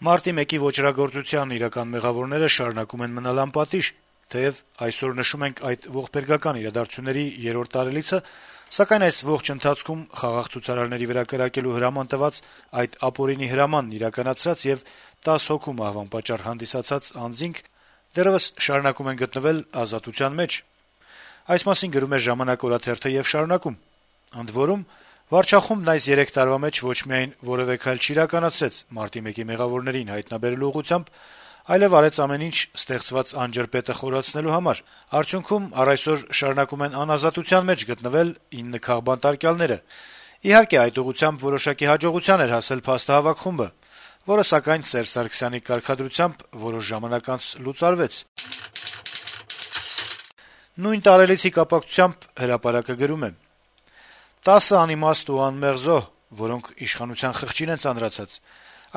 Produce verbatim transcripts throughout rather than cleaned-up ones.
Մարտի մեկի ոճրագործության իրական մեղավորները շարունակում են մնալ անպատիժ, թեեւ այսօր նշում ենք այդ ողբերգական իրադարձությունների երրորդ տարելիցը, սակայն այս ողջ ընթացքում խաղաղ ցուցարարների վրա կրակելու հրաման տված, այդ ապօրինի հրամանն իրականացրած եւ տասը հոգու մահվան պատճառ հանդիսացած անձինք դեռեւս շարունակում են գտնվել ազատության մեջ։ Այս մասին գրում է «Ժամանակ» օրաթերթը եւ շարունակում. ընդ որում, վարչախումբն այս երեք տարվա մեջ ոչ միայն որեւէ քայլ չիրականացրեց մարտի մեկի մեղավորներին հայտնաբերելու ուղղությամբ, այլեւ արեց ամեն ինչ ստեղծված անջրպետը խորացնելու համար։ Արդյունքում առ այսօր շարունակում են անազատության մեջ գտնվել ինը քաղբանտարկյալները։ Իհարկե, այդ ուղղությամբ որոշակի հաջողության էր հասել փաստահավաք խումբը, որը սակայն Սերժ Սարգսյանի կարգադրությամբ որոշ ժամանակ անց լուծարվեց։ Նույն տարելիցի կապակցությամբ «Հրապարակ»-ը գրում է. «տասը անիմաստ ու անմեղ զոհ, որոնք իշխանության խղճին են ծանրացած։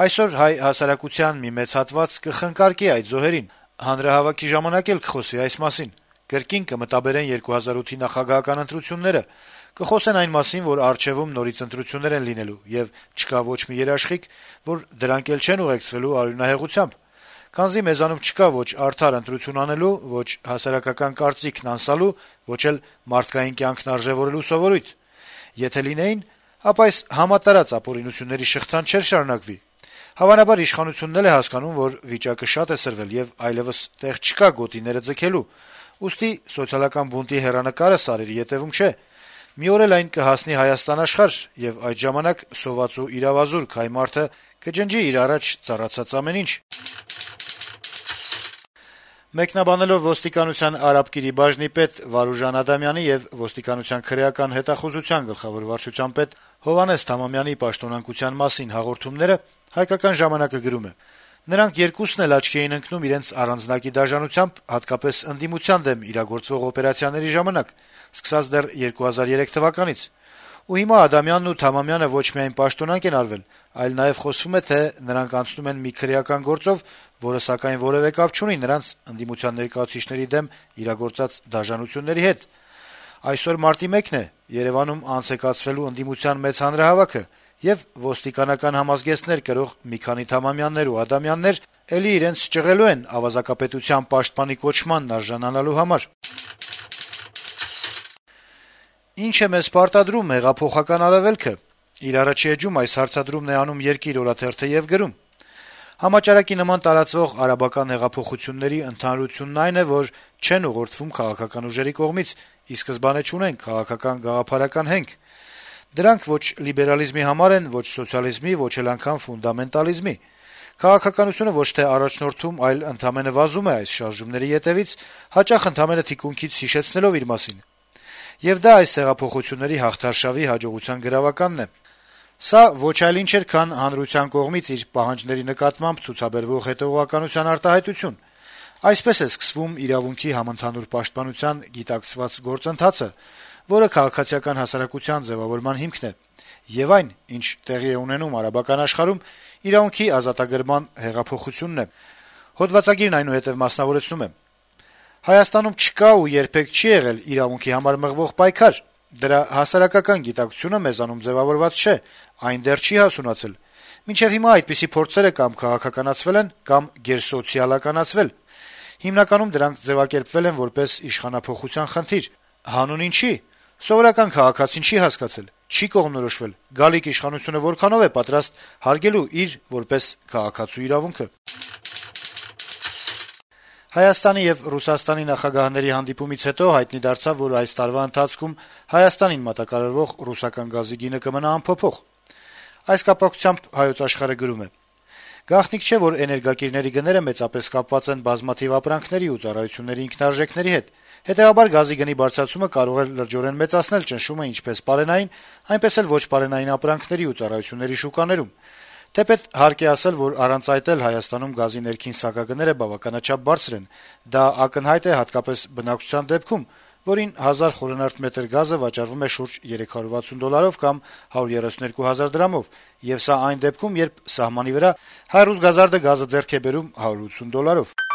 Այսօր հայ հասարակության մի մեծ հատված կխնկարկի այդ զոհերին։ Հանրահավաքի ժամանակ էլ կխոսվի այս մասին։ Կրկին կմտաբերեն երկու հազար ութի նախագահական ընտրությունները, կխոսեն այն մասին, որ առջեւում նորից ընտրություններ են լինելու, եւ չկա ոչ մի երաշխիք, որ դրանք էլ չեն ուղեկցվելու արյունահեղությամբ։ Քանզի մեզանում չկա ոչ արդար ընտրություն անելու, ոչ հասարակական կարծիքն անսալու, ոչ էլ մարդկային կյանքն արժեվորելու սովորույթ։ Եթե լինեին, ապա այս համատարած ապօրինությունների շղթան չէր շարունակվի։ Հավանաբար իշխանությունն էլ է հասկանում, որ վիճակը շատ է սրվել եւ այլեւս տեղ չկա գոտիները ձգելու։ Ուստի սոցիալական բունտի հեռանկարը սարերի ետեւում չէ։ Մի օր էլ այն կհասնի Հայաստան աշխարհ, եւ այդ ժամանակ սոված ու իրավազուրկ հայ մարդը կջնջի իր առաջ ծառացած ամեն ինչ»։ Մեկնաբանելով ոստիկանության արաբկիրի բաժնի պետ Վարուժան Ադամյանի եւ ոստիկանության քրեական հետախուզության գլխավոր վարչության պետ Հովհաննես Թամամյանի պաշտոնանկության մասին հաղորդումները «Հայկական ժամանակ»-ը գրում է. «Նրանք երկուսն էլ աչքի էին ընկնում իրենց առանձնակի դաժանությամբ, հատկապես ընդդիմության դեմ իրագործվող օպերացիաների ժամանակ, սկսած դեռ երկու հազար երեք թվականից։ Ու հիմա Ադամյանն ու Թամամյանը ոչ միայն պաշտոնանկ են արվել, այլ նաեւ խոսվում է, թե նրանք անցնում են մի քրեական գործով, որը սակայն որեւէ կապ չունի նրանց ընդդիմության ներկայացուցիչների դեմ իրագործած դաժանությունների հետ։ Այսօր մարտի մեկն է, Երեւանում անց է կացվելու ընդդիմության մեծ հանրահավաքը, եւ ոստիկանական համազգեստներ կրող մի քանի Թամամյաններ ու Ադամյաններ էլի իրենց ճղելու են ավազակապետության պաշտպանի կոչմանն արժանանալու համար»։ «Ինչ է մեզ պարտադրում հեղափոխական արևելքը» իր առաջի էջում այս հարցադրումն է անում «Երկիր» օրաթերթը եւ գրում. «Համաճարակի նման տարածվող արաբական հեղափոխությունների ընդհանրությունն այն է, որ չեն ուղղորդվում քաղաքական ուժերի կողմից, ի սկզբանե չունեն քաղաքական գաղափարական հենք։ Դրանք ոչ լիբերալիզմի համար են, ոչ սոցիալիզմի, ոչ էլ անգամ ֆունդամենտալիզմի։ Քաղաքականությունը ոչ թե առաջնորդում, այլ ընդամենը վազում է այս շարժումների ետեւից, հաճախ ընդամենը թիկունքից հիշեցնելով իր մասին։ Եվ դա այս հեղափոխությունների հաղթարշավի հաջողության գրավականն է։ Սա ոչ այլ ինչ էր, քան հանրության կողմից իր պահանջների նկատմամբ ցուցաբերվող հետեւողականության արտահայտություն։ Այսպես է սկսվում իրավունքի համընդհանուր պաշտպանության գիտակցված գործընթացը, որը քաղաքացիական հասարակության ձեւավորման հիմքն է, եւ այն, ինչ տեղի է ունենում արաբական աշխարհում, իրավունքի ազատագրման հեղափոխությունն է»։ Հոդվածագիրն այնուհետեւ մասնավորեցնում է. «Հայաստանում չկա ու երբեք չի եղել իրավունքի համար մղվող պայքար։ Դրա հասարակական գիտակցությունը մեզանում ձեւավորված չէ, այն դեռ չի հասունացել։ Մինչեւ հիմա այդպիսի փորձերը կամ քաղաքականացվել են, կամ գերսոցիալականացվել։ Հիմնականում դրանք ձեւակերպվել են որպես իշխանափոխության խնդիր։ Հանուն ինչի։ Սովորական քաղաքացին չի հասկացել, չի կողմնորոշվել, գալիք իշխանությունը որքանով է պատրաստ հարգելու իր որպես քաղաքացու իրավունքը»։ Հայաստանի եւ Ռուսաստանի նախագահների հանդիպումից հետո հայտնի դարձավ, որ այս տարվա ընթացքում Հայաստանին մատակարարվող ռուսական գազի գինը կմնա անփոփոխ։ Այս կապակցությամբ «Հայոց Աշխարհ»-ը գրում է. «Գաղտնիք չէ, որ էներգակիրների գները մեծապես կապված են բազմաթիվ ապրանքների ու ծառայությունների ինքնարժեքների հետ։ Հետեւաբար գազի գնի բարձրացումը կարող է լրջորեն մեծացնել ճնշումը ինչպես պարենային, այնպես էլ ոչ պարենային ապրանքների ու ծառայությունների շուկաներում։ Թեպետ հարկ է ասել, որ առանց այդ էլ Հայաստանում գազի ներքին սակագները բավականաչափ բարձր են։ Դա ակնհայտ է հատկապես բնակչության դեպքում, որին հազար խորանարդ մետր գազը վաճառվում է շուրջ երեք հարյուր վաթսուն դոլարով կամ հարյուր երեսունյոթ հազար դրամով, եւ սա այն դեպքում, երբ սահմանի վրա հայ ռուս գազարդը գազը ձեռք է բերում հարյուր ութսուն դոլարով»։